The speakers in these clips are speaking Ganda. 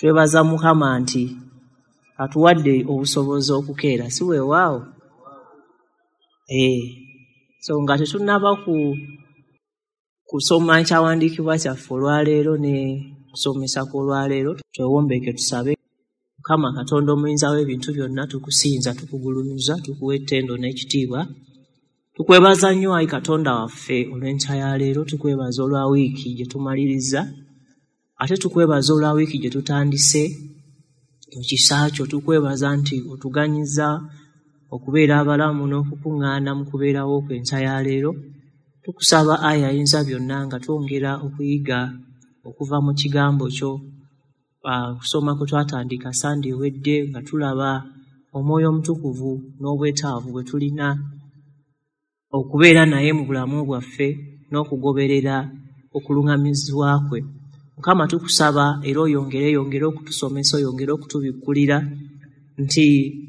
Twebaza Mukama nti atuwadde obusobozi okukeera, si weewaawo? So nga tetunnaba kusoma ekyawandiikibwa kyaffe olwaleero ne kusomesa kw'olwaleero, twewombeke tusabe. Mukama Katonda omuyinza w'ebintu byonna, tukusinza, tukugulumiza, tukuwa ettendo n'ekitiibwa. Tukwebaza nnyo ayi Katonda waffe olw'enkya ya leero, tukwebaza olwa wiiki gye tumalirizza, ate tukwebaza olwa wiiki gye tutandise mu kisa kyo. Tukwebaza nti otuganyiza okubeera abalamu n'okukuŋŋaana mu kubeerawo kw'enkya ya leero. Tukusaba ayi ayinza byonna nga twongera okuyiga okuva mu kigambo kyo, kusoma kwe twatandika Sande ewedde nga tulaba Omwoyo Omutukuvu n'obwetaavu bwe tulina okubeera naye mu bulamu bwaffe n'okugoberera okuluŋŋamizibwa kwe. Mukama tukusaba era oyongere okutusomesa, oyongere okutubikkulira nti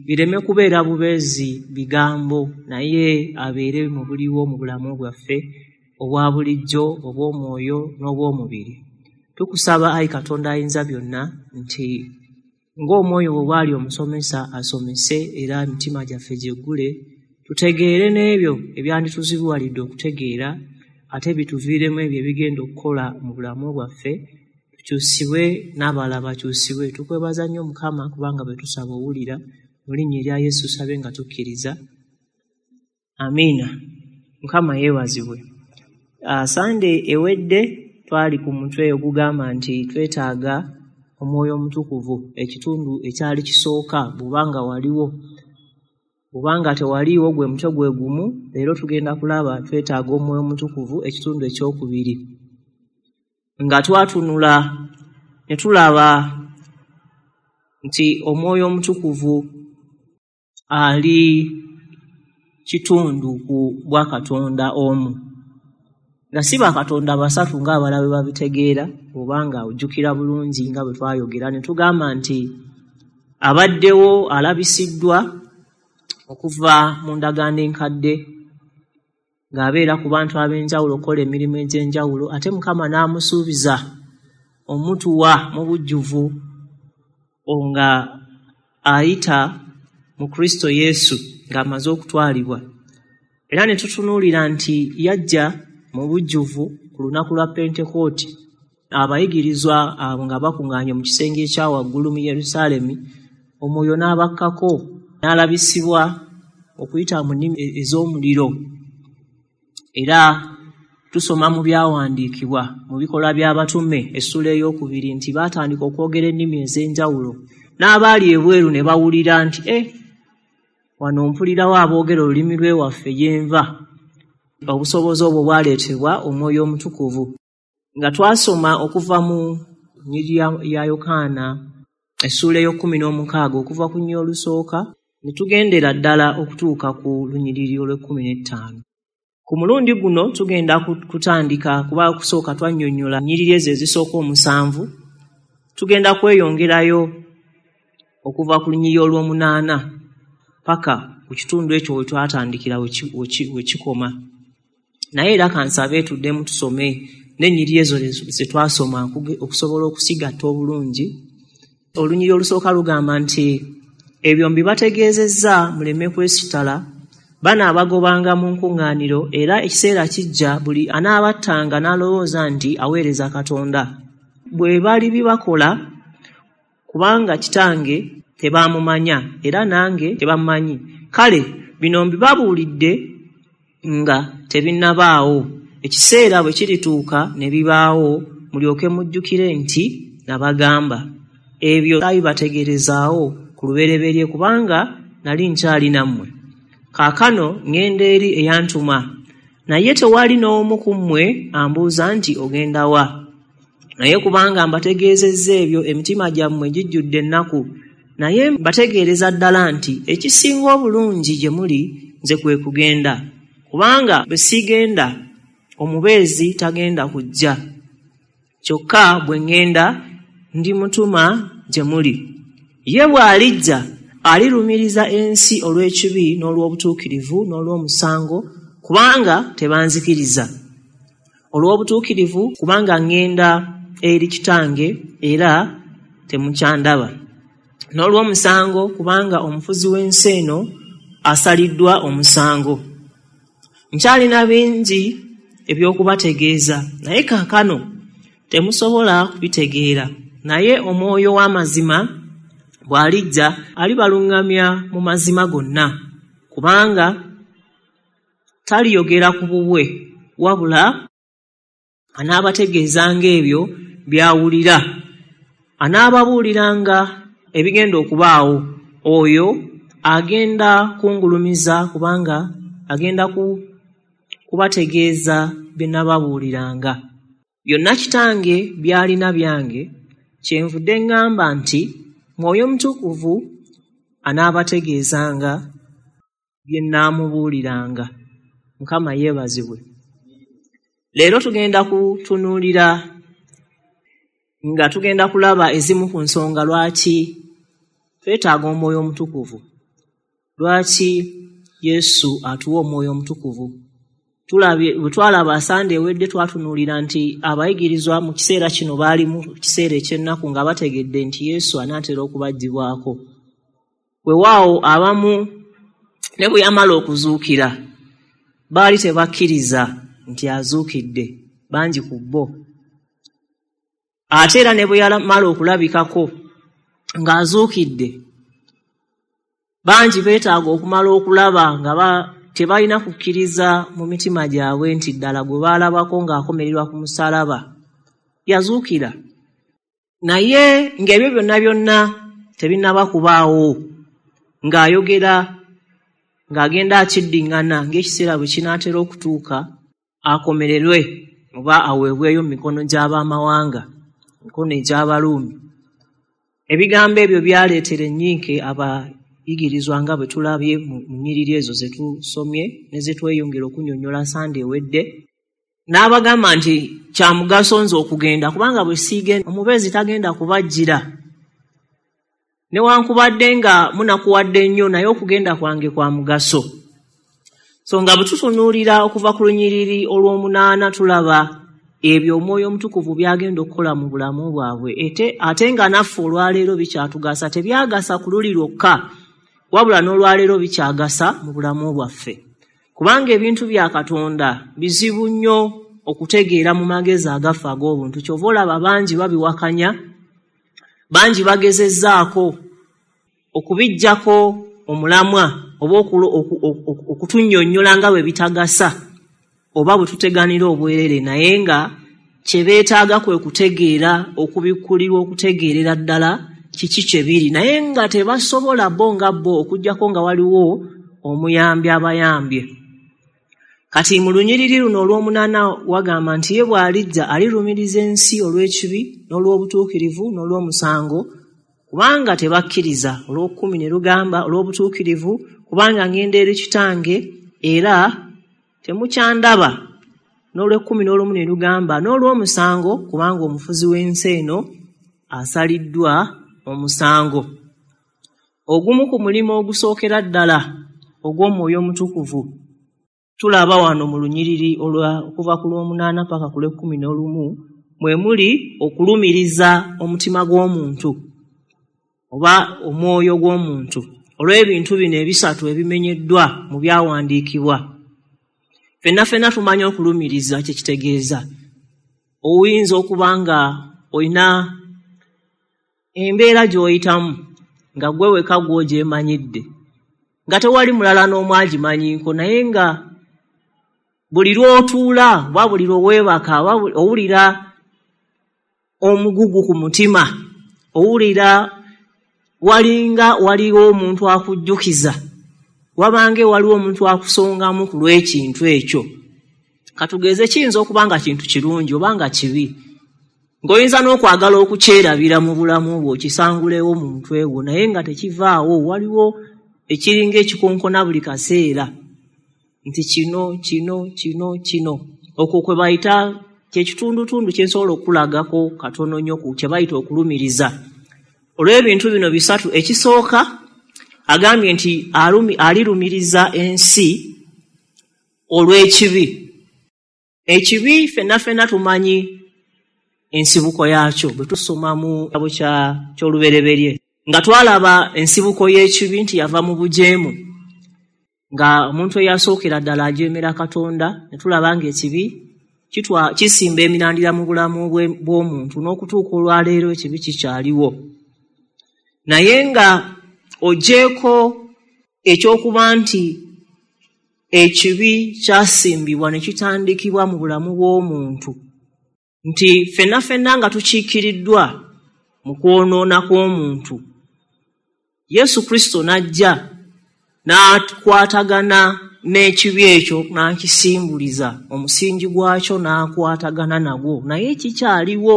bireme kubeera bubeezi bigambo, naye abeere mu buliwo mu bulamu bwaffe obwa bulijjo, obw'omwoyo n'obw'omubiri. Tukusaba ayi Katonda ayinza byonna nti ng'omwoyo bwe bw'ali omusomesa asomese, era emitima gyaffe gyeggule, tutegeere n'ebyo ebyandituzibuwalidde okutegeera, ate bituviiremu ebyo ebigenda okukola mu bulamu bwaffe, tukyusibwe n'abalala bakyusibwe. Tukwebaza nnyo Mukama kubanga bwe tusaba owulira. Mu linnya erya Yesu tusabe nga tukkiriza. Amiina. Mukama yeebazibwe. Sande ewedde twali ku mutwe ogugamba nti twetaaga Omwoyo Omutukuvu, ekitundu ekyali kisooka bw'obanga waliwo. Bw'obanga tewaliiwo gwe mutwe gwe gumu, leero tugenda kulaba twetaaga Omwoyo Omutukuvu, ekitundu ekyokubiri. Nga twatunula ne tulaba nti Omwoyo Omutukuvu ali kitundu ku bwakatonda omu, nga si bakatonda basatu ng'abalala bwe babitegeera. Obanga ojjukira bulungi nga bwe twayogera ne tugamba nti abaddewo alabisiddwa okuva mu ndagaano enkadde ng'abeera ku bantu ab'enjawulo okukola emirimu egy'enjawulo, ate Mukama n'amusuubiza omutuwa mu bujjuvu nga ayita mu Kristo Yesu ng'amaze okutwalibwa. Era ne tutunuulira nti yajja mu bujjuvu ku lunaku lwa Pentekooti, abayigirizwa abo nga bakuŋŋaanye mu kisenge ekya waggulu mu Yerusaalemi, Omwoyo n'abakkako n'alabisibwa okuyita mu nnimi ez'omuliro. Era tusoma mu byawandiikibwa mu Bikolwa by'Abatume essuula ey'okubiri nti baatandika okwogera ennimi ez'enjawulo, n'abaali ebweru ne bawulira nti wano mpulirawo aboogera olulimi lw'ewaffe gye nva. Obusobozi obwo bwaleetebwa Omwoyo Omutukuvu. Nga twasoma okuva mu Njiri ya Yokaana essuula ey'e16 okuva ku nnya olusooka ne tugendera ddala okutuuka ku lunyiriri olw'e15. Ku mulundi guno tugenda kutandika kuba kusooka twannyonnyola nnyiriri ezo ezisooka 7, tugenda kweyongerayo okuva ku lunyiriri olw'omunaana paka ku kitundu ekyo we twatandikira we kikoma. Naye era kansabe tuddemu tusome n'ennyiriri ezo ze twasoma okusobola okusigatta obulungi. Olunyiriri olusooka lugamba nti ebyo mbibategeezezza muleme kwesitala, banaabagobanga mu nkuŋŋaaniro, era ekiseera kijja buli anaabattanga n'alowooza nti aweereza Katonda. Bwe bali bibakola, kubanga Kitange tebaamumanya era nange tebammanyi. Kale bino mbibabuulidde nga tebinnabaawo. Ekiseera bwe kirituuka ne bibaawo, mulyoke mujjukire nti nabagamba. Ebyo saabibategeerezaawo ku lubereberye kubanga nali nkyali nammwe. Kaakano ŋŋenda eri eyantuma, naye tewali n'omu ku mmwe ambuuza nti ogenda wa. Naye kubanga mbategeezezza ebyo, emitima gyammwe gijjudde ennaku. Naye mbategeereza ddala nti ekisinga obulungi gye muli nze kwe kugenda, kubanga bwe sigenda omubeezi tagenda kujja. Kyokka bwe ŋŋenda ndimutuma gye muli. Ye bw'alijja alirumiriza ensi olw'ekibi n'olw'obutuukirivu n'olw'omusango, kubanga tebanzikiriza. Olw'obutuukirivu kubanga ŋŋenda eri Kitange era temukyandaba. N'olw'omusango, kubanga omufuzi w'ensi eno asaliddwa omusango. Nkyalina bingi eby'okubategeeza, naye kaakano temusobola kubitegeera. Naye omwoyo w'amazima bw'alijja, alibaluŋŋamya mu mazima gonna, kubanga taliyogera ku bubwe, wabula anaabategeezanga ebyo by'awulira, anaababuuliranga ebigenda okubaawo. Oyo agenda kungulumiza, kubanga agenda kubategeeza bye nababuuliranga. Byonna Kitange by'alina byange, kyenvudde ŋŋamba nti Mwoyo Mutukuvu anaabategeezanga bye nnaamubuuliranga. Mukama yeebazibwe. Leero tugenda kutunuulira nga tugenda kulaba ezimu ku nsonga lwaki twetaaga Omwoyo Omutukuvu, lwaki Yesu atuwa Omwoyo Omutukuvu. Tulabye bwe twalaba Sande ewedde, twatunuulira nti abayigirizwa mu kiseera kino baali mu kiseera eky'ennaku nga bategedde nti Yesu anaatera okubaggyibwako. Weewaawo abamu ne bwe yamala okuzuukira baali tebakkiriza nti azuukidde, bangi ku bo. Ate era ne bwe yamala okulabikako ng'azuukidde, bangi beetaaga okumala okulaba nga tebalina kukkiriza mu mitima gyabwe nti ddala gwe baalabako ng'akomererwa ku musaalaba yazuukira. Naye ng'ebyo byonna byonna tebinnaba kubaawo, ng'ayogera ng'agenda akiddiŋŋana ng'ekiseera bwe kinaatera okutuuka akomererwe oba aweebweyo mu mikono gy'abamawanga, mikono egy'Abaruumi. Ebigambo ebyo byaleetera ennyiike abayigirizwa nga bwe tulabye mu nnyiriri ezo ze tusomye ne ze tweyongera okunnyonnyola Sande ewedde. N'abagamba nti kya mugaso nze okugenda, kubanga bwe siigenda omubeezi tagenda kubajjira. Newankubadde nga munakuwadde nnyo, naye okugenda kwange kwa mugaso. So nga bwe tutunuulira okuva ku lunyiriri olw'omunaana, tulaba ebyo Omwoyo Omutukuvu by'agenda okukola mu bulamu bwabwe, ate nga naffe olwaleero bikyatugasa. Tebyagasa ku luli lwokka, wabula n'olwaleero bikyagasa mu bulamu bwaffe, kubanga ebintu bya Katonda bizibu nnyo okutegeera mu magezi agaffe ag'obuntu. Kyova olaba bangi babiwakanya, bangi bagezezzaako okubiggyako omulamwa oba okutunnyonnyola nga bwe bitagasa oba bwe tuteganira obwerere, naye nga kye beetaaga kwe kutegeera, okubikkulirwa, okutegeerera ddala kiki kye biri, naye nga tebasobola bo nga bo okuggyako nga waliwo omuyambi abayambye. Kati mu lunyiriri luno olw'omunaana wagamba nti ye bw'alijja alirumiriza ensi olw'ekibi n'olw'obutuukirivu n'olw'omusango, kubanga tebakkiriza. Olw'okkumi ne lugamba olw'obutuukirivu, kubanga ngenda eri Kitange era temukyandaba. N'olw'ekkumi n'olumu ne lugamba n'olw'omusango, kubanga omufuzi w'ensi eno asaliddwa omusango. Ogumu ku mulimu ogusookera ddala ogw'Omwoyo Omutukuvu tulaba wano mu lunyiriri okuva ku lw'omunaana paka ku lw'ekkumi n'olumu, mwe muli okulumiriza omutima gw'omuntu oba omwoyo gw'omuntu olw'ebintu bino ebisatu ebimenyeddwa mu byawandiikibwa. Ffenna ffenna tumanyi okulumiriza kye kitegeeza. Oyinza okuba nga olina embeera gy'oyitamu nga ggwe wekka gw'ogyemanyidde, nga tewali mulala n'omu agimanyiiko, naye nga buli lw'otuula oba buli lwe weebaka owulira omugugu ku mutima, owulira walinga waliwo omuntu akujjukiza, wabange waliwo omuntu akusongamu ku lw'ekintu ekyo. Katugeze kiyinza okuba nga kintu kirungi oba nga kibi, ng'oyinza n'okwagala okukyerabira mu bulamu bwo, okisangulewo mu mutwe gwo, naye nga tekivaawo. Waliwo ekiringa ekikonkona buli kaseera nti kino kino kino kino. Okwo kwe bayita kyekitundutundu kye nsobola okulagako katono nnyo ku kye bayita okulumiriza. Olw'ebintu bino bisatu, ekisooka agambye nti alirumiriza ensi olw'ekibi. Ekibi ffenna ffenna tumanyi ensibuko yaakyo. Bwe tusoma mu kitabo ky'Olubereberye nga twalaba ensibuko y'ekibi nti yava mu bujeemu, nga omuntu eyasookera ddala ajeemera Katonda, ne tulaba ng'ekibi kisimba emirandira mu bulamu bw'omuntu, n'okutuuka olwaleero ekibi kikyaliwo. Naye nga ogyeko ekyokuba nti ekibi kyasimbibwa ne kitandikibwa mu bulamu bw'omuntu, nti ffenna ffenna nga tukiikiriddwa mu kwonoona kw'omuntu, Yesu Kristo n'ajja n'akwatagana n'ekibi ekyo n'akisimbuliza omusingi gwakyo n'akwatagana nagwo, naye kikyaliwo.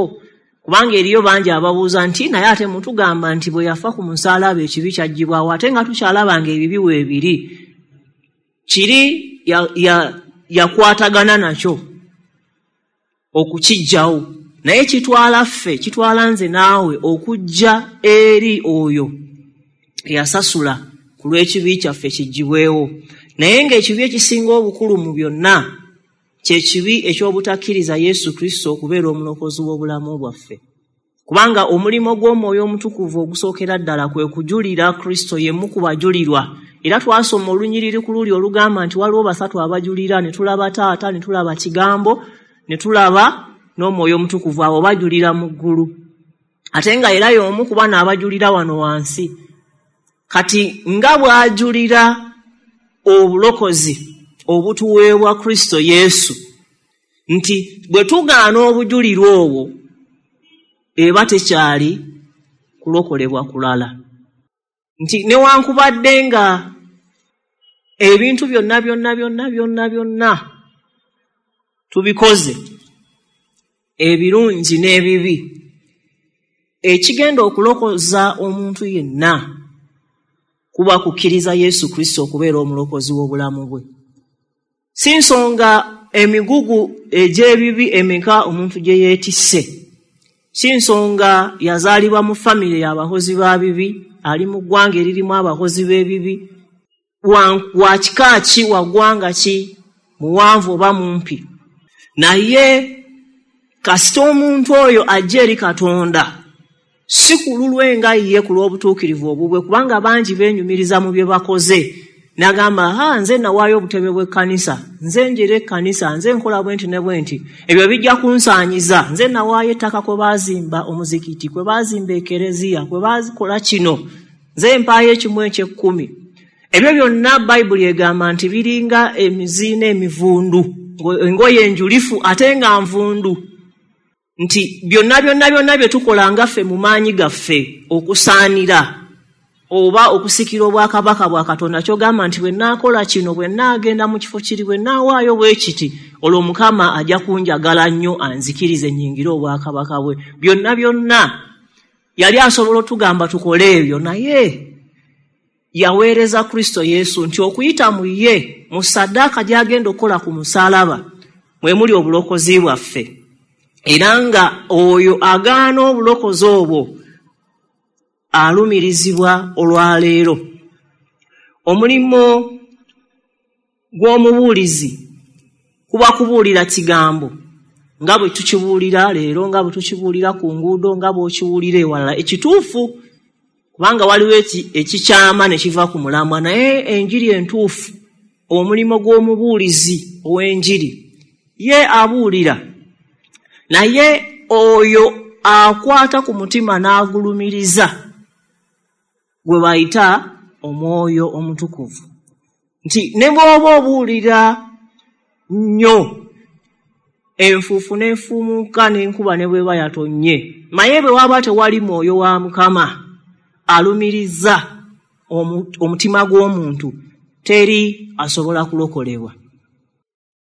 Kubanga eriyo bangi ababuuza nti naye ate mutugamba nti bwe yafa ku musaalaba ekibi kyaggyibwawo, ate nga tukyalaba ng'ebibi weebiri. Kiri yakwatagana nakyo okukiggyawo, naye kitwala ffe, kitwala nze naawe okujja eri oyo eyasasula ku lw'ekibi kyaffe kiggyibwewo. Naye ng'ekibi ekisinga obukulu mu byonna kye kibi eky'obutakkiriza Yesu Kristo okubeera omulokozi w'obulamu bwaffe. Kubanga omulimu gw'Omwoyo Omutukuvu ogusookera ddala kwe kujulira Kristo, ye mu kubajulirwa. Era twasoma olunyiriri ku luli olugamba nti waliwo basatu abajulira, ne tulaba Taata, ne tulaba Kigambo, ne tulaba n'Omwoyo Omutukuvu. Abo bajulira mu ggulu, ate nga era y'omu ku bano abajulira wano wansi. Kati nga bw'ajulira obulokozi obutuweebwa Kristo Yesu, nti bwe tugaana obujulirwa obwo eba tekyali kulokolebwa kulala. Nti newankubadde nga ebintu byonna byonna byonna byonna byonna tubikoze, ebirungi n'ebibi, ekigenda okulokoza omuntu yenna kuba kukkiriza Yesu Kristo okubeera omulokozi w'obulamu bwe. Si nsonga emigugu egy'ebibi emeka omuntu gye yeetisse, si nsonga yazaalibwa mu famire y'abakozi ba bibi, ali mu ggwanga eririmu abakozi b'ebibi, wa kika ki, wa ggwanga ki, muwanvu oba mumpi. Naye kasita omuntu oyo ajja eri Katonda, si ku lulwe nga ye ku lw'obutuukirivu obubwe, kubanga bangi beenyumiriza mu bye bakoze. N'agamba, ha, nze nawaayo obutebe bw'ekkanisa, nze njera ekkanisa, nze nkola bwe nti ne bwe nti, ebyo bijja kunsaanyiza, nze nawaayo ettaka kwe baazimba omuzikiti, kwe baazimba ekereziya, kwe baakola kino, nze mpaayo ekimu eky'ekkumi. Ebyo byonna Bayibuli egamba nti biringa emizi n'emivundu, engoye enjulifu ate nga nvundu. Nti byonna byonna byonna bye tukola nga ffe mu maanyi gaffe okusaanira oba okusikira obwakabaka bwa Katonda, ky'ogamba nti bwe nnaakola kino, bwe nnaagenda mu kifo kiri, bwe nnaawaayo bwe kiti, olwo Mukama ajja kunjagala nnyo anzikirize nnyingire obwakabaka bwe. Byonna byonna yali asobola otugamba tukole ebyo, naye yaweereza Kristo Yesu nti okuyita mu ye, mu ssaddaaka gy'agenda okukola ku musaalaba, mwe muli obulokozi bwaffe. Era nga oyo agaana obulokozi obwo alumirizibwa olwaleero. Omulimu gw'omubuulizi kuba kubuulira kigambo nga bwe tukibuulira leero, nga bwe tukibuulira ku nguudo, nga bw'okiwulira ewalala. Ekituufu, kubanga waliwo ekikyama ne kiva ku mulamwa, naye enjiri entuufu, omulimu gw'omubuulizi ow'enjiri ye abuulira, naye oyo akwata ku mutima n'agulumiriza gwe bayita Omwoyo Omutukuvu. Nti ne bw'oba obuulira nnyo enfuufu n'efuumuuka n'enkuba ne bw'eba yatonnye, naye bwe waba tewali mwoyo wa Mukama alumiriza omutima gw'omuntu, teri asobola kulokolebwa.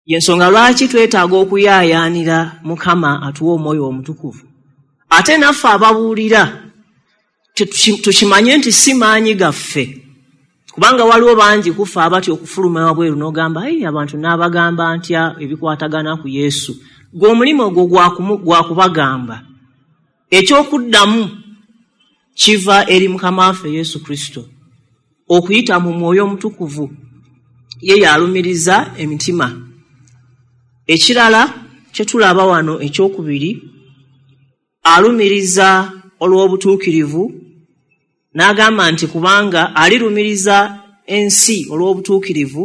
Y'ensonga lwaki twetaaga okuyaayaanira Mukama atuwe Omwoyo Omutukuvu. Ate naffe ababuulira tukimanye nti si maanyi gaffe, kubanga waliwo bangi kufa abatya okufuluma wabweru n'ogamba, ayi abantu n'abagamba ntya ebikwatagana ku Yesu. Gwe omulimu ogwo gwa kubagamba. Ekyokuddamu kiva eri Mukama waffe Yesu Kristo okuyita mu Mwoyo Omutukuvu, ye y'alumiriza emitima. Ekirala kye tulaba wano ekyokubiri Alumiriza olw'obutuukirivu, n'agamba nti kubanga alirumiriza ensi olw'obutuukirivu,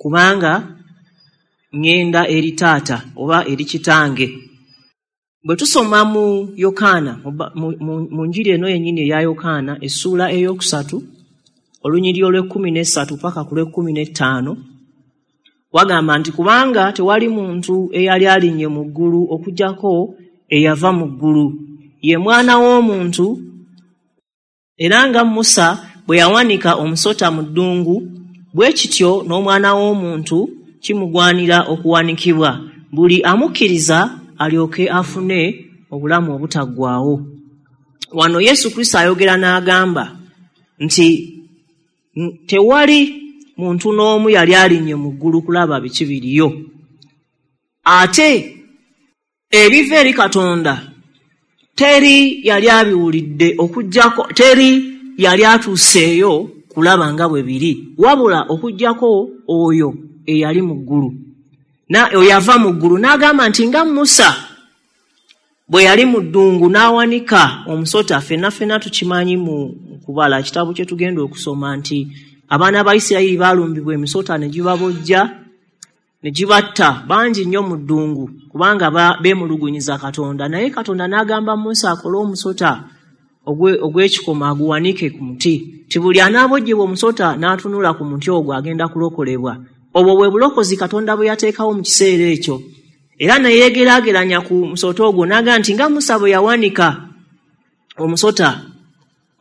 kubanga ŋŋenda eri taata oba eri kitange. Bwe tusoma mu Yokaana, mu njiri eno yennyini eya Yokaana, essuula 3, olunyiriri olw'e13 paka ku lw'e15, wagamba nti kubanga tewali muntu eyali alinnye mu ggulu okuggyako eyava mu ggulu, ye mwana w'omuntu. Era nga Musa bwe yawanika omusota mu ddungu, bwe kityo n'omwana w'omuntu kimugwanira okuwanikibwa, buli amukkiriza alyoke afune obulamu obutaggwaawo. Wano Yesu Kristo ayogera n'agamba nti tewali muntu n'omu yali alinnye mu ggulu kulaba biki biriyo. Ate ebiva eri Katonda teri yali abiwulidde okuggyako, teri yali atuuseeyo kulaba nga bwe biri, wabula okuggyako oyo eyali mu ggulu, oyo ava mu ggulu. N'agamba nti nga Musa bwe yali mu ddungu n'awanika omusota, ffenna ffenna tukimanyi mu kubala ekitabo kye tugenda okusoma nti abaana ba Isirayiri baalumbibwa emisota ne gibabojja ne gibatta bangi nnyo mu ddungu, kubanga beemulugunyiza Katonda. Naye Katonda n'agamba Musa akole omusota ogw'ekikomo aguwanike ku muti, nti buli anaabojjebwa omusota n'atunula ku muti ogwo agenda kulokolebwa. Obwo bwe bulokozi Katonda bwe yateekawo mu kiseera ekyo. Era ne yeegeraageranya ku musota ogwo n'agamba nti nga Musa bwe yawanika omusota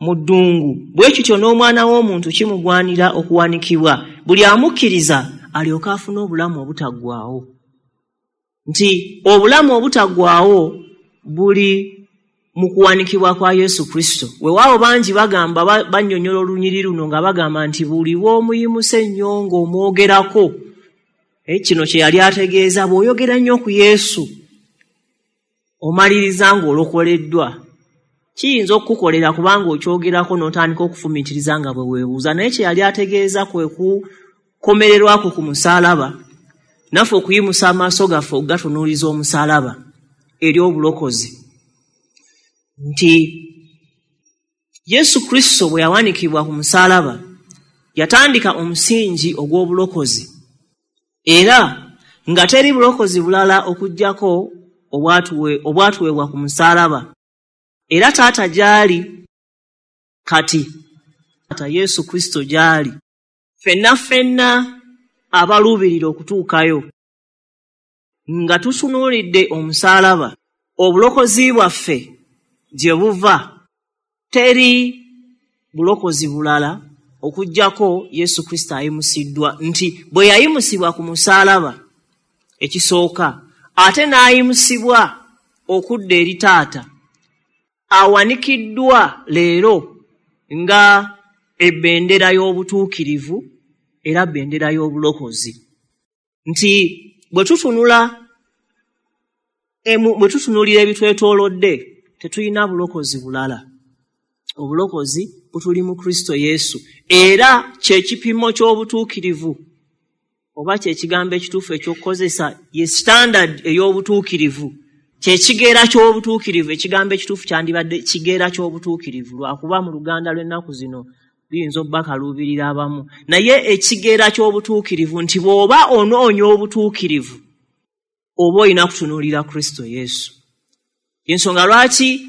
mu ddungu, bwe kityo n'omwana w'omuntu kimugwanira okuwanikibwa, buli amukkiriza alyoke afune obulamu obutaggwaawo. Nti obulamu obutaggwaawo buli mu kuwanikibwa kwa Yesu Kristo. Weewaawo bangi bagamba, bannyonnyola olunyiriri luno nga bagamba nti buli bw'omuyimusa ennyo ng'omwogerako. Kino kye yali ategeeza, bw'oyogera nnyo ku Yesu omaliriza ng'olokoleddwa. Kiyinza okukukolera kubanga okyogerako n'otandika okufumiitiriza nga bwe weebuuza, naye kye yali ategeeza kwe kukomererwako ku musaalaba, naffe okuyimusa amaaso gaffe okugatunuuliza omusaalaba eri obulokozi. Nti Yesu Kristo bwe yawanikibwa ku musaalaba yatandika omusingi ogw'obulokozi, era nga teri bulokozi bulala okuggyako obwatuweebwa ku musaalaba. Era taata gy'ali kati, taata Yesu Kristo gy'ali, ffenna ffenna abaluubirira okutuukayo nga tutunuulidde omusaalaba, obulokozi bwaffe gye buva. Teri bulokozi bulala okuggyako Yesu Kristo ayimusiddwa, nti bwe yayimusibwa ku musaalaba ekisooka, ate n'ayimusibwa okudda eri taata, awanikiddwa leero nga ebendera y'obutuukirivu era bendera y'obulokozi. Nti bwe tutunuulira ebitwetoolodde tetulina bulokozi bulala. Obulokozi butuli mu Kristo Yesu, era kye kipimo ky'obutuukirivu, oba kye kigambo ekituufu eky'okukozesa, ye standard ey'obutuukirivu, kye kigera ky'obutuukirivu. Ekigambo ekituufu kyandibadde kigera ky'obutuukirivu, lwakuba mu Luganda lw'ennaku zino luyinza obbakaluubirira abamu, naye ekigera ky'obutuukirivu nti bw'oba onoonya obutuukirivu oba olina kutunuulira Kristo Yesu. Ensonga lwaki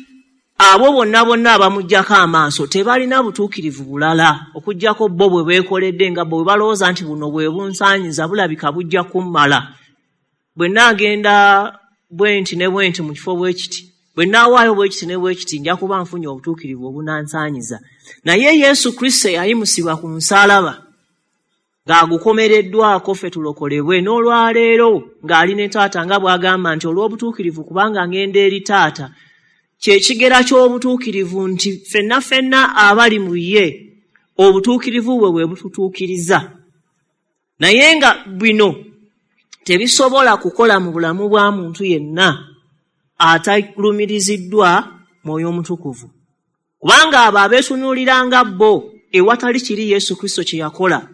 abo bonna bonna abamuggyako amaaso tebalina butuukirivu bulala okuggyako bo bwe beekoledde, nga bo bwe balowooza nti buno bwe bunsaanyiza, bulabika bujja kummala, bwe nnaagenda bwe nti ne bwe nti mu kifo bwe kiti, bwe nnaawaayo bwe kiti ne bwe kiti, nja kuba nfunye obutuukirivu obunansaanyiza. Naye Yesu Kristo yayimusibwa ku musaalaba ng'agukomereddwako ffe tulokolebwe, n'olwaleero ng'ali ne taata, nga bw'agamba nti olw'obutuukirivu kubanga ngenda eri taata. Kye kigera ky'obutuukirivu nti ffenna ffenna abali mu ye obutuukirivu bwe bwe bututuukiriza. Naye nga bino tebisobola kukola mu bulamu bwa muntu yenna atalumiriziddwa Mwoyo Omutukuvu, kubanga abo abeetunuuliranga bo ewatali kiri Yesu Kristo kye yakola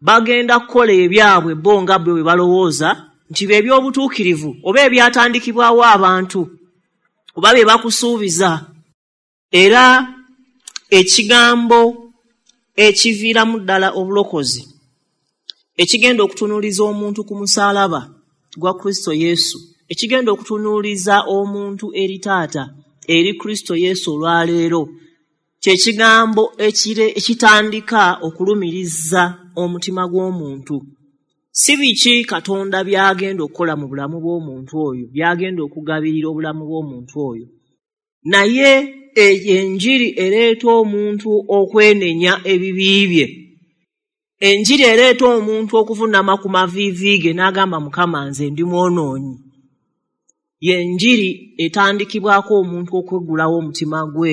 bagenda kukola ebyabwe bo nga bwe balowooza nti bye by'obutuukirivu oba ebyatandikibwawo abantu. Kuba bye bakusuubiza. Era ekigambo ekiviiramu ddala obulokozi, ekigenda okutunuuliza omuntu ku musaalaba gwa Kristo Yesu, ekigenda okutunuuliza omuntu eri Taata, eri Kristo Yesu olwaleero, kye kigambo ekitandika okulumiriza omutima gw'omuntu. Si biki Katonda by'agenda okukola mu bulamu bw'omuntu oyo, by'agenda okugabirira obulamu bw'omuntu oyo, naye enjiri ereeta omuntu okwenenya ebibi bye. Enjiri ereeta omuntu okuvunama ku maviivi ge n'agamba, Mukama nze ndi mwonoonyi. Y'enjiri etandikibwako omuntu okweggulawo omutima gwe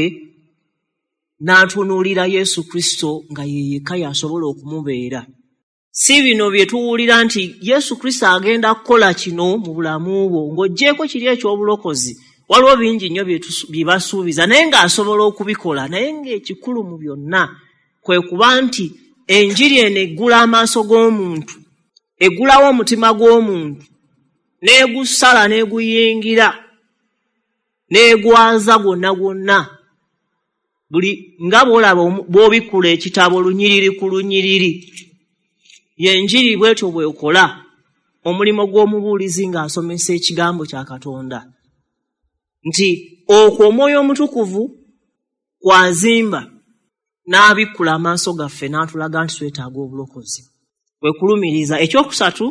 n'atunuulira Yesu Kristo nga ye yekka y'asobola okumubeera. Si bino bye tuwulira nti Yesu Kristo agenda kukola kino mu bulamu bwo, ng'oggyeeko kiri eky'obulokozi. Waliwo bingi nnyo bye basuubiza naye ng'asobola okubikola, naye ng'ekikulu mu byonna kwe kuba nti enjiri eno eggula amaaso g'omuntu, eggulawo omutima gw'omuntu, n'egusala n'eguyingira, n'egwaza gwonna gwonna. Buli nga bw'olaba bw'obikkula ekitabo lunyiriri ku lunyiriri, y'enjiri bw'etyo bw'ekola omulimu gw'omubuulizi ng'asomesa ekigambo kya Katonda. Nti okwo Omwoyo Omutukuvu kw'azimba n'abikkula amaaso gaffe n'atulaga nti twetaaga obulokozi. Kwe kulumiriza. Ekyokusatu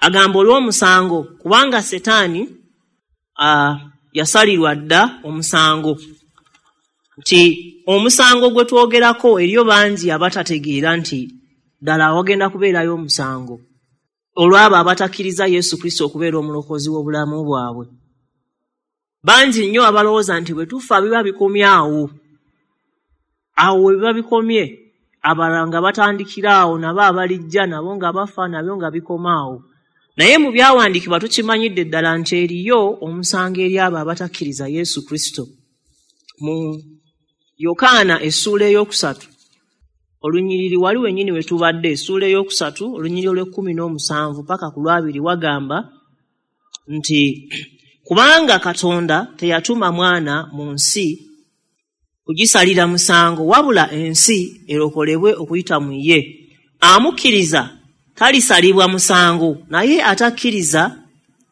agamba olw'omusango, kubanga Setaani yasalirwa dda omusango. Nti omusango gwe twogerako eriyo bangi abatategeera nti ddala wagenda kubeerayo omusango olw'abo abatakkiriza Yesu Kristo okubeera omulokozi w'obulamu bwabwe. Bangi nnyo abalowooza nti bwe tufa biba bikomye awo. Awo we biba bikomye, abalala nga batandikira awo, nabo abalijja nabo nga bafa, nabyo nga bikoma awo. Naye mu byawandiikibwa tukimanyidde ddala nti eriyo omusango eri abo abatakkiriza Yesu Kristo. Mu Yokaana essuula 3 olunyiriri wali wennyini we tubadde, essuula 3 olunyiriri olw'17 paka ku 20 wagamba nti kubanga Katonda teyatuma mwana mu nsi kugisalira musango, wabula ensi erokolebwe okuyita mu ye. Amukkiriza talisalibwa musango, naye atakkiriza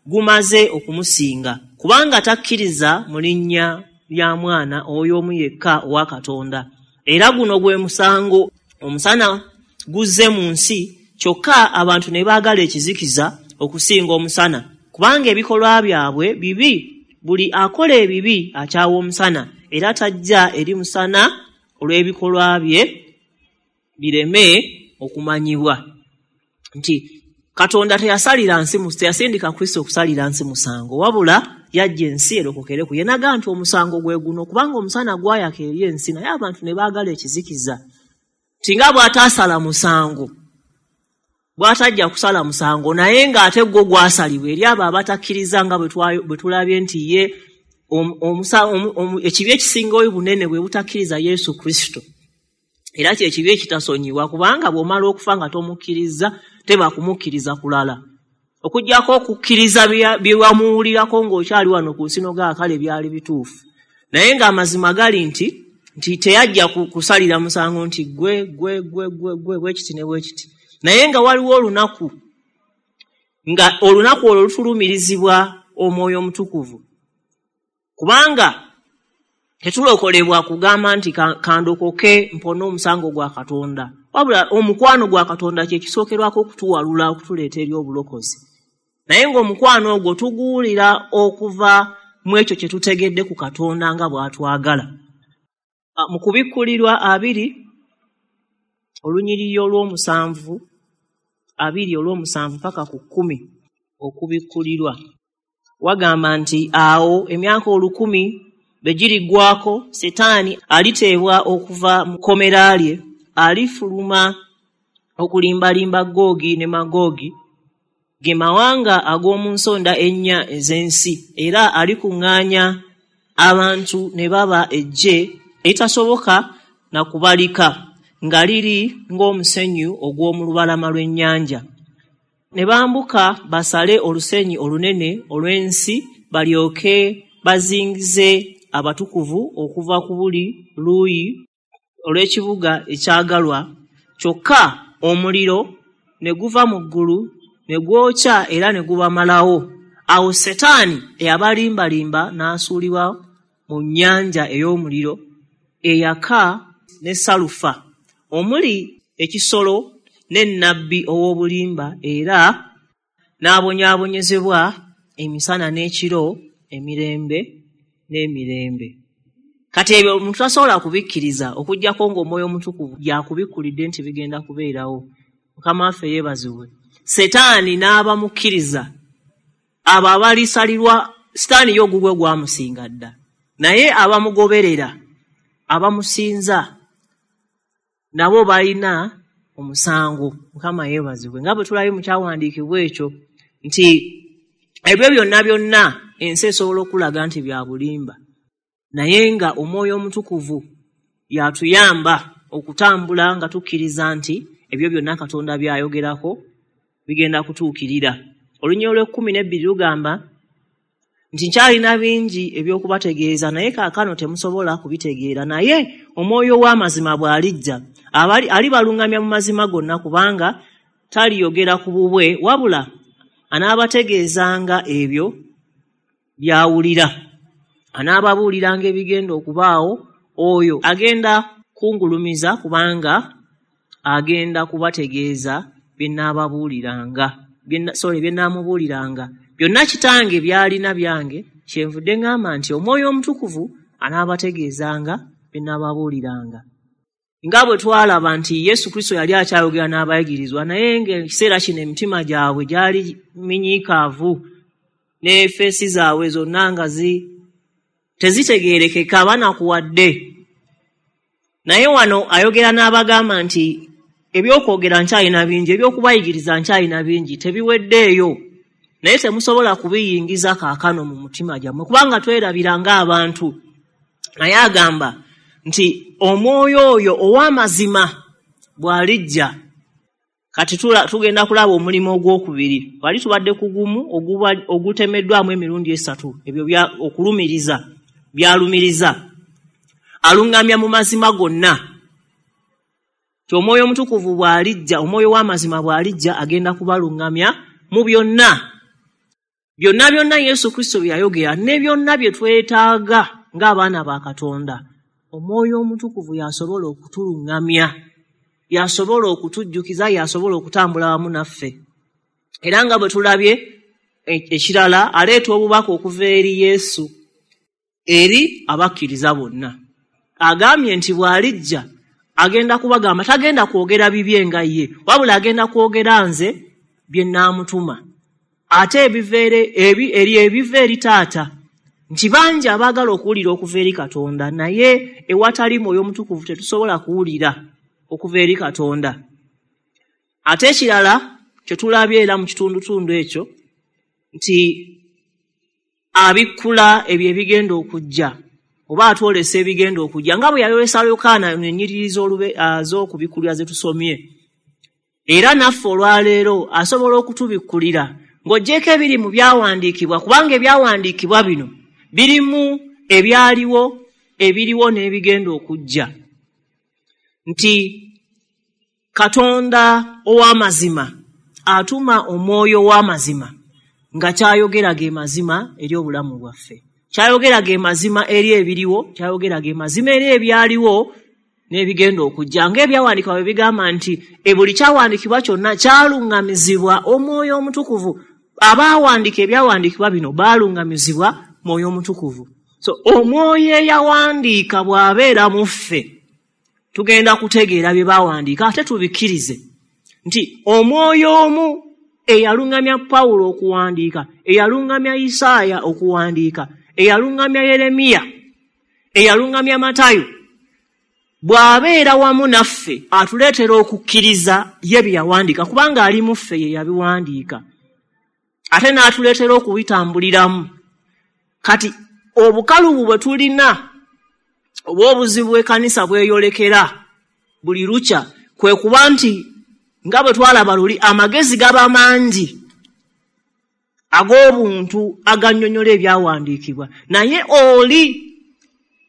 gumaze okumusinga, kubanga takkiriza mu linnya lya mwana oyo omu yekka owa Katonda. Era guno gwe musango, omusana guzze mu nsi, kyokka abantu ne baagala ekizikiza okusinga omusana, kubanga ebikolwa byabwe bibi. Buli akola ebibi akyawa omusana, era tajja eri musana olw'ebikolwa bye bireme okumanyibwa. Nti Katonda teyasalira nsi, teyasindika Kristo okusalira nsi musango, wabula yajja ensi erokokere ku ye. N'agamba nti omusango gwe guno, kubanga omusana gwayaka eri ensi, naye abantu ne baagala ekizikiza. Nti nga bw'ataasala musango, bw'atajja kusala musango, naye ng'ate gwo gwasalibwa eri abo abatakkiriza, nga bwe tulabye nti ye ekibi ekisinga obunene bwe butakkiriza Yesu Kristo. Era kye kibi ekitasonyiwa, kubanga bw'omala okufa nga tomukkiriza, teba kumukkiriza kulala. Okuggyako okukkiriza bye wamuwulirako ng'okyali wano ku nsi n'ogamba kale byali bituufu. Naye ng'amazima gali nti teyajja kusalira musango nti gwe gwe gwe gwe gwe bwe kiti ne bwe kiti. Naye nga waliwo olunaku, nga olunaku olwo lutulumirizibwa Omwoyo Omutukuvu. Kubanga tetulokolebwa kugamba nti kandokoke mpone omusango gwa Katonda, wabula omukwano gwa Katonda kye kisookerwako okutuwalula okutuleeta eri obulokozi. Naye ng'omukwano ogwo tuguwulira okuva mu ekyo kye tutegedde ku Katonda nga bw'atwagala. Mu kubikkulirwa 2 olunyiriri olw'omusanvu, 2 olw'omusanvu paka ku 10, okubikkulirwa wagamba nti awo emyaka 1000 bwe giriggwaako, Setaani aliteebwa okuva mu kkomera lye, alifuluma okulimbalimba Googi ne Magoogi, ge mawanga ag'omu nsonda 4 ez'ensi, era alikuŋŋaanya abantu ne baba eggye eritasoboka na kubalika, nga liri ng'omusenyu ogw'omu lubalama lw'ennyanja. Ne bambuka basale olusenyi olunene olw'ensi, balyoke bazingize abatukuvu okuva ku buli luuyi olw'ekibuga ekyagalwa, kyokka omuliro ne guva mu ggulu ne gwokya era ne gubamalawo. Awo Setaani eyabalimbalimba n'asuulibwa mu nnyanja ey'omuliro eyaka ne salufa, omuli ekisolo ne nnabbi ow'obulimba, era n'abonyaabonyezebwa emisana n'ekiro emirembe n'emirembe. Kati ebyo omuntu tasobola kubikkiriza okuggyako ng'Omwoyo Omutukuvu yakubikkulidde nti bigenda kubeerawo. Mukama waffe yeebazibwe. Setaani n'abamukkiriza abo abalisalirwa, Sitaani ye ogugwe gwamusinga dda, naye abamugoberera abamusinza nabo balina omusango. Mukama yeebazibwe. Nga bwe tulabye mu kyawandiikibwa ekyo nti ebyo byonna byonna ensi esobola okulaga nti bya bulimba, naye nga Omwoyo Omutukuvu y'atuyamba okutambula nga tukkiriza nti ebyo byonna Katonda by'ayogerako bigenda kutuukirira. Olunyiriri olw'ekkumi n'ebbiri lugamba nti nkyalina bingi eby'okubategeeza, naye kaakano temusobola kubitegeera. Naye Omwoyo w'amazima bw'alijja, alibaluŋŋamya mu mazima gonna, kubanga taliyogera ku bubwe, wabula anaabategeezanga ebyo by'awulira, anaababuuliranga ebigenda okubaawo. Oyo agenda kungulumiza, kubanga agenda kubategeeza bye nnaababuuliranga, bye nnaamubuuliranga. Byonna Kitange by'alina byange, kyenvudde ŋŋamba nti Omwoyo Omutukuvu anaabategeezanga bye nnaababuuliranga. Nga bwe twalaba nti Yesu Kristo yali akyayogera n'abayigirizwa, naye ng'ekiseera kino emitima gyabwe gyali minyiikaavu ne feesi zaabwe zonna nga tezitegeerekeka, banakuwadde. Naye wano ayogera n'abagamba nti ebyokwogera nkyalina bingi, ebyokubayigiriza nkyalina bingi, tebiweddeeyo, naye temusobola kubiyingiza kaakano mu mutima gyammwe, kubanga twerabira ng'abantu. Naye agamba nti Omwoyo oyo ow'amazima bw'alijja. Kati tugenda kulaba omulimu ogwokubiri. Wali tubadde ku gumu ogutemeddwamu emirundi esatu, ebyo okulumiriza byalumiriza. Aluŋŋamya mu mazima gonna. Ti Omwoyo Omutukuvu bw'alijja, Omwoyo w'amazima bw'alijja, agenda kubaluŋŋamya mu byonna. Byonna byonna Yesu Kristo bye yayogera ne byonna bye twetaaga ng'abaana ba Katonda, Omwoyo Omutukuvu y'asobola okutuluŋŋamya, y'asobola okutujjukiza, y'asobola okutambula wamu naffe. Era nga bwe tulabye ekirala, aleeta obubaka okuva eri Yesu eri abakkiriza bonna. Agambye nti bw'alijja agenda kubagamba, tagenda kwogera bibye nga ye, wabula agenda kwogera nze bye nnaamutuma. Ate ebiva eri Taata, nti bangi abaagala okuwulira okuva eri Katonda, naye ewatali Mwoyo Omutukuvu tetusobola kuwulira okuva eri Katonda. Ate ekirala kye tulabye era mu kitundutundu ekyo nti abikkula ebyo ebigenda okujja, oba atwolesa ebigenda okujja, nga bwe yayolesa Yokaana ennyiriri z'okubikkulira ze tusomye. Era naffe olwaleero asobola okutubikkulira ng'oggyeko ebiri mu byawandiikibwa, kubanga ebyawandiikibwa bino birimu ebyaliwo, ebiriwo n'ebigenda okujja. Nti Katonda ow'amazima atuma Omwoyo w'amazima nga kyayogera ge mazima eri obulamu bwaffe, kyayogera ge mazima eri ebiriwo, kyayogera ge mazima eri ebyaliwo n'ebigenda okujja. Ng'ebyawandiikibwa bwe bigamba nti buli kyawandiikibwa kyonna kyaluŋŋamizibwa Omwoyo Omutukuvu. Abaawandiika ebyawandiikibwa bino baaluŋŋamizibwa Mwoyo Omutukuvu. So Omwoyo eyawandiika bw'abeera mu ffe, tugenda kutegeera bye baawandiika ate tubikkirize nti Omwoyo omu eyaluŋŋamya Pawulo okuwandiika, eyaluŋŋamya Isaaya okuwandiika, eyaluŋŋamya Yeremiya, eyaluŋŋamya Matayo, bw'abeera wamu naffe atuleetera okukkiriza ye bye yawandiika, kubanga ali mu ffe ye yabiwandiika, ate n'atuleetera okubitambuliramu. Kati obukalubu bwe tulina oba obuzibu bw'ekkanisa bweyolekera buli lukya kwe kuba nti nga bwe twalaba luli, amagezi gaba mangi. ag'obuntu agannyonnyola ebyawandiikibwa, naye oli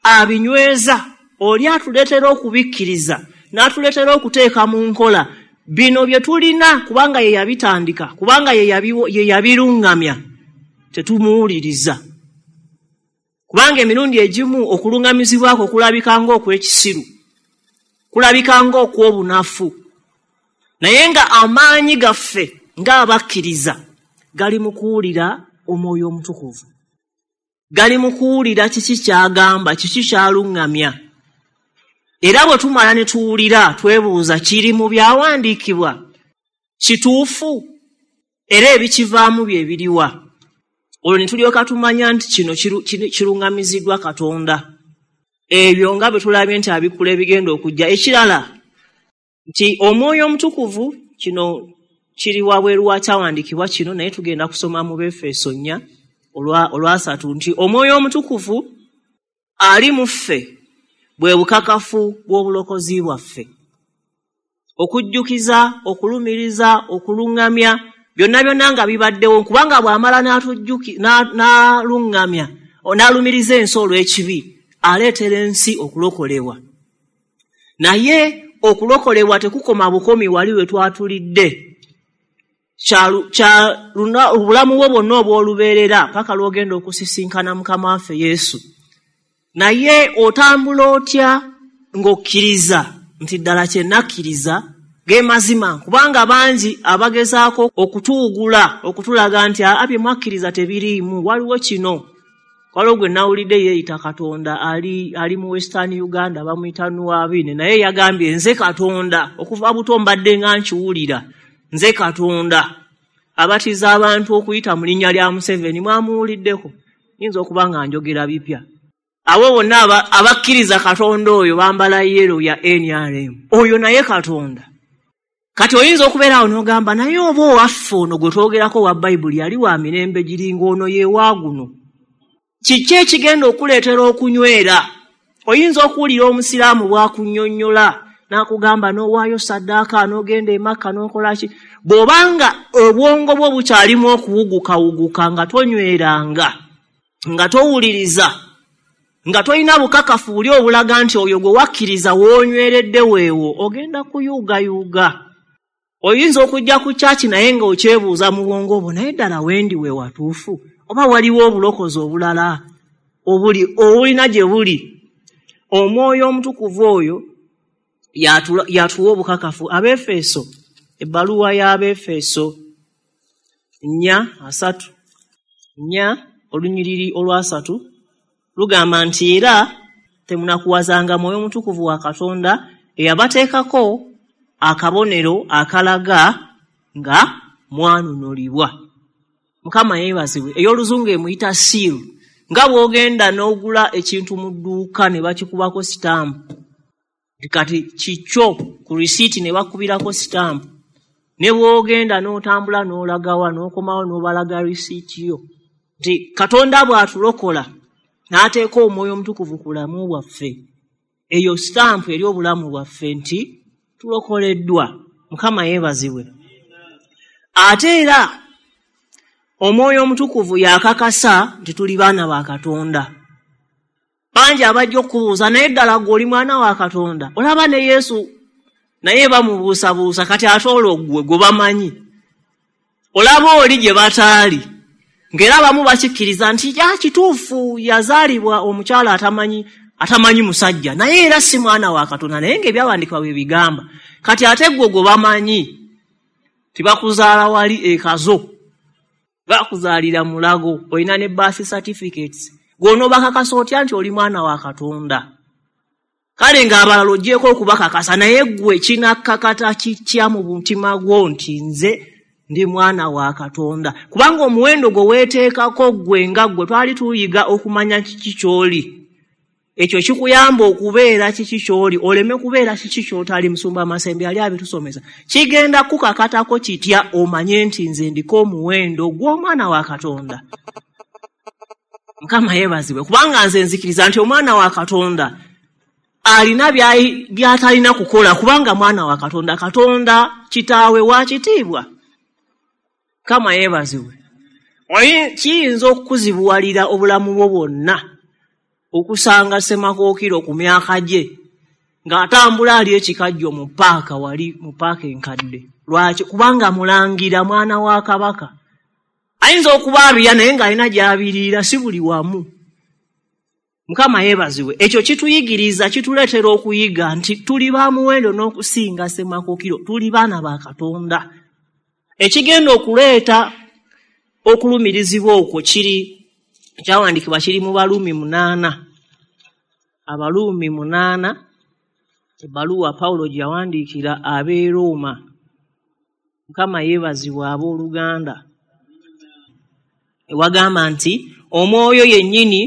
abinyweza, oli atuleetera okubikkiriza, n'atuleetera okuteeka mu nkola bino bye tulina, kubanga ye yabitandika, kubanga ye yabiruŋŋamya. Tetumuwuliriza, kubanga emirundi egimu okuluŋŋamizibwako kulabika ng'okw'ekisiru, kulabika ng'okw'obunafu, naye nga amaanyi gaffe ng'abakkiriza gali mu kuwulira Omwoyo Omutukuvu, gali mu kuwulira kiki ky'agamba, kiki ky'aluŋŋamya. Era bwe tumala ne tuwulira, twebuuza, kiri mu byawandiikibwa kituufu? Era ebikivaamu bye biriwa? Olwo ne tulyoka tumanya nti kino kiruŋŋamiziddwa Katonda. Ebyo nga bwe tulabye nti abikkula ebigenda okujja. Ekirala nti Omwoyo Omutukuvu, kino kiri wabweru wa kyawandiikibwa kino, naye tugenda kusoma mu Befeso 4:3 nti Omwoyo Omutukuvu ali mu ffe bwe bukakafu bw'obulokozi bwaffe. Okujjukiza, okulumiriza, okuluŋŋamya, byonna byonna nga bibaddewo, kubanga bw'amala n'aluŋŋamya, n'alumiriza ensi olw'ekibi, aleetera ensi okulokolebwa. Naye okulokolebwa tekukoma bukomi wali we twatulidde. Obulamu bwo bwonna obw'olubeerera paka lw'ogenda okusisinkana Mukama waffe Yesu. Naye otambula otya ng'okkiriza nti ddala kye nakkiriza ge mazima? Kubanga bangi abagezaako okutuwugula, okutulaga nti aa bye mwakkiriza tebiriimu, waliwo kino. Waliwo gwe nawulidde yeeyita Katonda, ali mu Western Uganda, bamuyita Nuwabine, naye yagambye nze Katonda, okuva buto mbadde nga nkiwulira, nze Katonda. Abatiza abantu okuyita mu linnya lya Museveni, mwamuwuliddeko? Nyinza okuba nga njogera bipya. Abo bonna abakkiriza Katonda oyo bambala yero ya NRM, oyo naye Katonda. Kati oyinza okubeera awo n'ogamba, naye oba owaffe ono gwe twogerako wa Bayibuli yali wa mirembe giringa ono ye wa guno. Kiki ekigenda okuleetera okunywera? Oyinza okuwulira Omusiraamu bw'akunnyonnyola n'akugamba n'owaayo saddaaka, n'ogenda e Makka, n'okola ki. Bw'obanga obwongo bwo bukyalimu okuwugukawuguka, nga tonyweranga, nga towuliriza, nga tolina bukakafu buli obulaga nti oyo gwe wakkiriza w'onyweredde weewo, ogenda kuyuugayuuga. Oyinza okujja ku kyaki naye ng'okyebuuza mu bwongo bwo, naye ddala wendi we watuufu, oba waliwo obulokozi obulala obulina gye buli? Omwoyo Omutukuvu oyo yatuwa obukakafu. Abeefeso, ebbaluwa y'Abeefeso 4:3, 4:3 lugamba nti era temunakuwazanga Mwoyo Mutukuvu wa Katonda eyabateekako akabonero akalaga nga mwanunulibwa. Mukama yeebazibwe. Ey'oluzungu emuyita seal. Nga bw'ogenda n'ogula ekintu mu dduuka ne bakikubako sitampu, kati kikyo, ku risiiti ne bakubirako sitampu, ne bw'ogenda n'otambula n'olagawa n'okomawo n'obalaga risiiti yo, nti Katonda bw'atulokola n'ateeka Omwoyo Omutukuvu ku bulamu bwaffe, eyo sitampu eri obulamu bwaffe nti tulokoleddwa. Mukama yeebazibwe. Ate era Omwoyo Omutukuvu yakakasa nti tuli baana ba Katonda. Bangi abajja okubuuza, naye ddala ggwe oli mwana wa Katonda? Olaba ne Yesu naye bamubuusabuusa, kati ate olwo ggwe gwe bamanyi. Olaba oli gye bataali, ng'era abamu bakikkiriza nti ya kituufu yazaalibwa omukyala atamanyi musajja, naye era si mwana wa Katonda, naye ng'ebyawandiikibwa bwe bigamba. Kati ate ggwe gwe bamanyi, tibakuzaala wali e Kazo, bakuzaalira Mulago, olina ne birth certificates, gw'onoobakakasa otya nti oli mwana wa Katonda? Kale ng'abalala oggyeko okubakakasa, naye ggwe kinakkakata kitya mu mutima gwo nti nze ndi mwana wa Katonda? Kubanga omuwendo gwe weeteekako ggwe nga ggwe, twali tuyiga okumanya kiki ky'oli. Ekyo kikuyamba okubeera kiki ky'oli, oleme kubeera kiki ky'otali. Musumba Masembe yali abitusomesa. Kigenda kukakatako kitya omanye nti nze ndiko omuwendo gw'omwana wa Katonda? Mukama yeebazibwe. Kubanga nze nzikiriza nti omwana wa Katonda alina by'atalina kukola, kubanga mwana wa Katonda, Katonda kitaawe wa kitiibwa. Mukama yeebazibwe. Kiyinza okukuzibuwalira obulamu bwo bwonna okusanga Ssemakookiro ku myaka gye ng'atambula ali ekikajjo mu paaka, wali mu paaka enkadde. Lwaki? Kubanga mulangira, mwana wa kabaka. Ayinza okuba abirya naye ng'alina gy'abiriira, si buli wamu. Mukama yeebazibwe. Ekyo kituyigiriza, kituleetera okuyiga nti tuli ba muwendo n'okusinga Ssemakookiro, tuli baana ba Katonda. Ekigenda okuleeta okulumirizibwa okwo kiri kyawandiikibwa kiri mu Baluumi 8. Abaluumi 8, ebbaluwa Pawulo gye yawandiikira ab'e Rooma. Mukama yeebazibwe abooluganda. Ewagamba nti omwoyo yennyini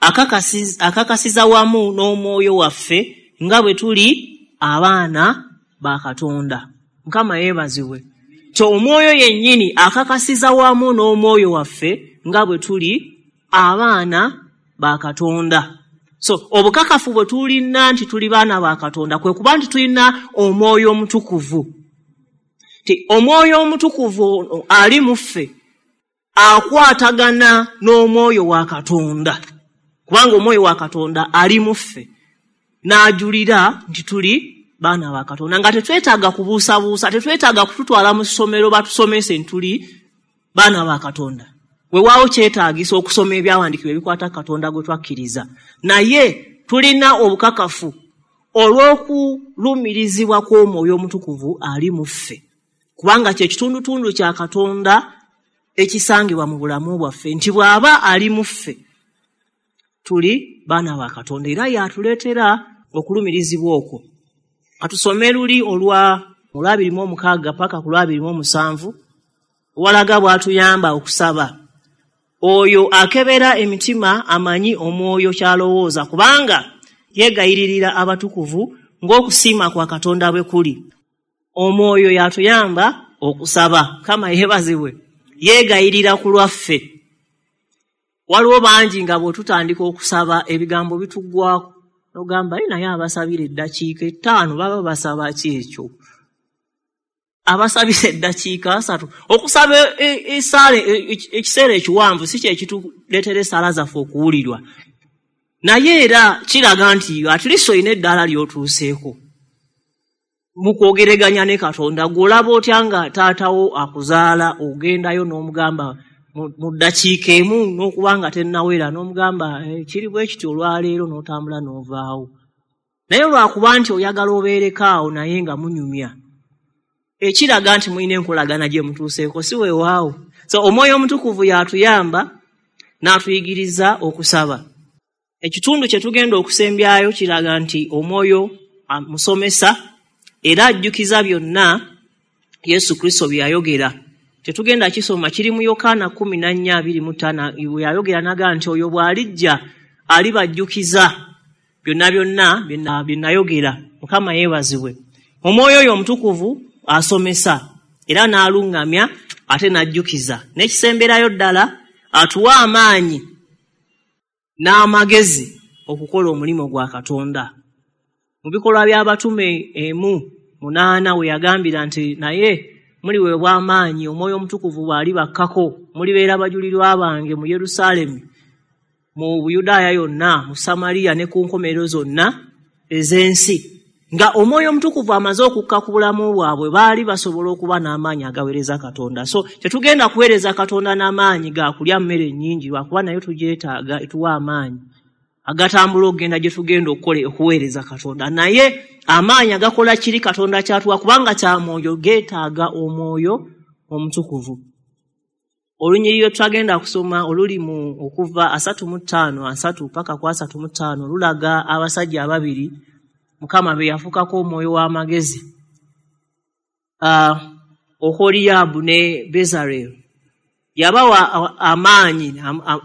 akakasiza wamu n'omwoyo waffe nga bwe tuli abaana ba Katonda. Mukama yeebazibwe. Ti omwoyo yennyini akakasiza wamu n'omwoyo waffe nga bwe tuli abaana ba Katonda. So obukakafu bwe tulina nti tuli baana ba Katonda kwe kuba nti tulina omwoyo omutukuvu. Ti omwoyo omutukuvu ali mu ffe akwatagana n'omwoyo wa Katonda, kubanga omwoyo wa Katonda ali mu ffe n'ajulira nti tuli baana ba Katonda, nga tetwetaaga kubuusabuusa, tetwetaaga kututwala mu ssomero batusomese nti tuli baana ba Katonda. Weewaawo kyetaagisa okusoma ebyawandiikibwa ebikwata Katonda gwe twakkiriza, naye tulina obukakafu olw'okulumirizibwa kw'omwoyo omutukuvu ali mu ffe, kubanga kye kitundutundu kya Katonda ekisangibwa mu bulamu bwaffe, nti bw'aba ali mu ffe tuli baana ba Katonda, era y'atuleetera okulumirizibwa okwo. Atusome luli olwa 26 paka ku 27, walaga bw'atuyamba okusaba. Oyo akebera emitima amanyi omwoyo ky'alowooza, kubanga yeegayiririra abatukuvu ng'okusiima kwa Katonda bwe kuli. Omwoyo y'atuyamba okusaba. Mukama yeebazibwe. Yeegayirira ku lwaffe. Waliwo bangi nga bw'otutandika okusaba ebigambo bituggwako, n'ogamba naye abasabira eddakiika 5 baba basaba ki ekyo? Abasabira eddakiika 3. Okusaba essaala ekiseera ekiwanvu si kye kituleetera essaala zaffe okuwulirwa, naye era kiraga nti at least olina eddaala ly'otuuseeko mu kwogereganya ne Katonda. Gw'olaba otya nga taatawo akuzaala ogendayo n'omugamba mu ddakiika emu n'okuba nga tennawera, n'omugamba kiri bwe kiti olwaleero, n'otambula n'ovaawo. Naye lwakuba nti oyagala obeereko awo naye nga munyumya, ekiraga nti mulina enkolagana gye mutuuseeko, si weewaawo. So omwoyo omutukuvu y'atuyamba n'atuyigiriza okusaba. Ekitundu kye tugenda okusembyayo kiraga nti omwoyo musomesa era ajjukiza byonna Yesu Kristo bye yayogera. Tetugenda kisoma, kiri mu Yokaana 14:25, bwe yayogera n'agamba nti oyo bw'alijja alibajjukiza byonna byonna bye nayogera. Mukama yeebazibwe. Omwoyo oyo omutukuvu asomesa era n'aluŋŋamya ate n'ajjukiza. N'ekisemberayo ddala, atuwa amaanyi n'amagezi okukola omulimu gwa Katonda. Mu bikolwa by'abatume 1:8 we yagambira nti naye muliweebwa amaanyi omwoyo omutukuvu bw'alibakkako, mulibeera bajulirwa bange mu Yerusaalemi, mu Buyudaaya yonna, mu Samaliya ne ku nkomerero zonna ez'ensi. Nga omwoyo omutukuvu amaze okukka ku bulamu bwabwe, baali basobola okuba n'amaanyi agaweereza Katonda. So tetugenda kuweereza Katonda n'amaanyi ga kulya mmere nnyingi, lwakuba nayo tugyetaaga etuwa amaanyi agatambula okugenda gye tugenda okukola okuweereza Katonda. Naye amaanyi agakola kiri Katonda kyatuwa, kubanga kya mwoyo, geetaaga omwoyo omutukuvu. Olunyiriri lwe twagenda kusoma oluli mu okuva 35:3 paka ku 35 lulaga abasajja ababiri Mukama be yafukako omwoyo w'amagezi, Oholiyaabu ne Bezalel. Yabawa amaanyi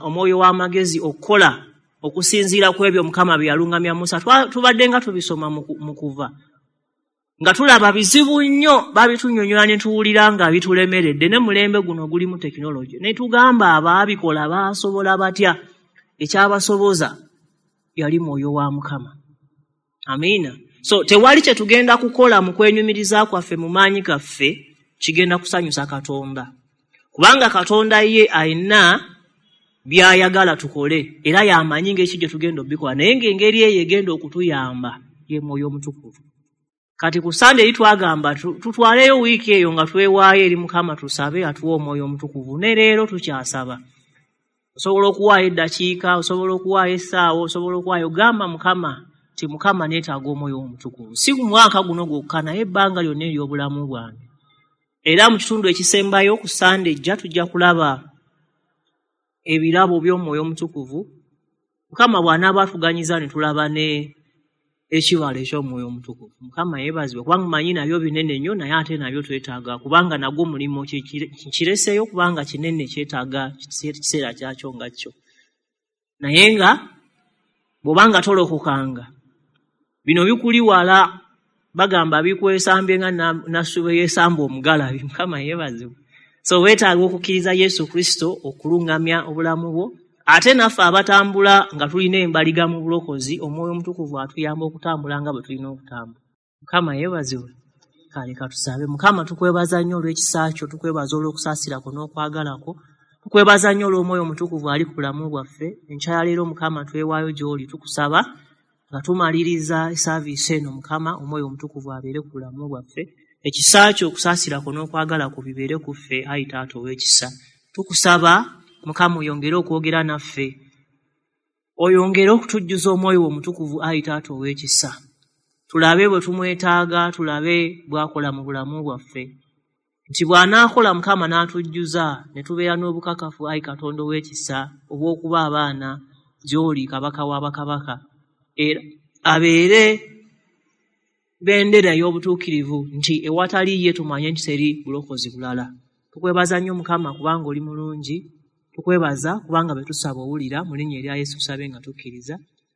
omwoyo w'amagezi okukola okusinziira ku ebyo Mukama bye yaluŋŋamya Musa. Tubadde nga tubisoma mu kuva, nga tulaba bizibu nnyo, babitunnyonnyola ne tuwulira nga bitulemeredde. Ne mulembe guno gulimu tekinologi, ne tugamba abaabikola baasobola batya? Ekyabasoboza yali mwoyo wa Mukama. Amiina. So tewali kye tugenda kukola mu kwenyumiriza kwaffe mu maanyi gaffe kigenda kusanyusa Katonda. Kubanga Katonda ye alina by'ayagala tukole, era y'amanyi ng'eki gye tugenda obikola, naye ng'engeri eyo egenda okutuyamba ye Mwoyo Omutukuvu. Kati ku Sande eri twagamba tutwaleyo wiiki eyo nga twewaayo eri Mukama, tusabe atuwe Omwoyo Omutukuvu. Ne leero tukyasaba. Osobola okuwaayo eddakiika, osobola okuwaayo essaawa, osobola okuwaayo, gamba Mukama nti Mukama neetaaga Omwoyo Omutukuvu, si mwaka guno gwokka naye ebbanga lyonna ery'obulamu bwange. Era mu kitundu ekisembayo ku Sande ejja tujja kulaba ebirabo by'Omwoyo Omutukuvu. Mukama bw'anaaba atuganyiza ne tulaba ne ekibala eky'Omwoyo Omutukuvu. Mukama yeebazibwe, kubanga manyi nabyo binene nnyo, naye ate nabyo twetaaga, kubanga nagwo mulimu kireseeyo, kubanga kinene kyetaaga kiseera kyakyo nga kyo. Naye nga bw'obanga tolokokanga, bino bikuli wala, bagamba bikwesambye nga Nasuube yeesamba omugalabi. Mukama yeebazibwe. So weetaaga okukkiriza Yesu Kristo okulungamya obulamu bwo. Ate naffe abatambula nga tulina embaliga mu bulokozi, Omwoyo Omutukuvu atuyamba okutambula nga bwe tulina okutambula. Mukama yeebazibwe. Kale katusabe. Mukama, tukwebaza nnyo olw'ekisa kyo, tukwebaza olw'okusaasira kwo n'okwagala kwo, tukwebaza nnyo olw'Omwoyo Omutukuvu ali ku bulamu bwaffe. Enkya ya leero Mukama twewaayo gy'oli, tukusaba nga tumaliriza esaaviisi eno, Mukama Omwoyo Omutukuvu abeere ku bulamu bwaffe. Ekisa kyo, okusaasira kwo n'okwagala kwo bibeere ku ffe, ayi Taata ow'ekisa. Tukusaba Mukama oyongere okwogera naffe, oyongere okutujjuza Omwoyo wo Omutukuvu, ayi Taata ow'ekisa. Tulabe bwe tumwetaaga, tulabe bw'akola mu bulamu bwaffe, nti bw'anaakola Mukama n'atujjuza ne tubeera n'obukakafu, ayi Katonda ow'ekisa, obw'okuba abaana gy'oli, Kabaka w'abakabaka, era abeere bendera ey'obutuukirivu, nti ewatali ye tumanye nti teri bulokozi bulala. Tukwebaza nnyo Mukama kubanga oli mulungi, tukwebaza kubanga bwe tusaba owulira. Mu linnya erya Yesu tusabe nga tukkiriza.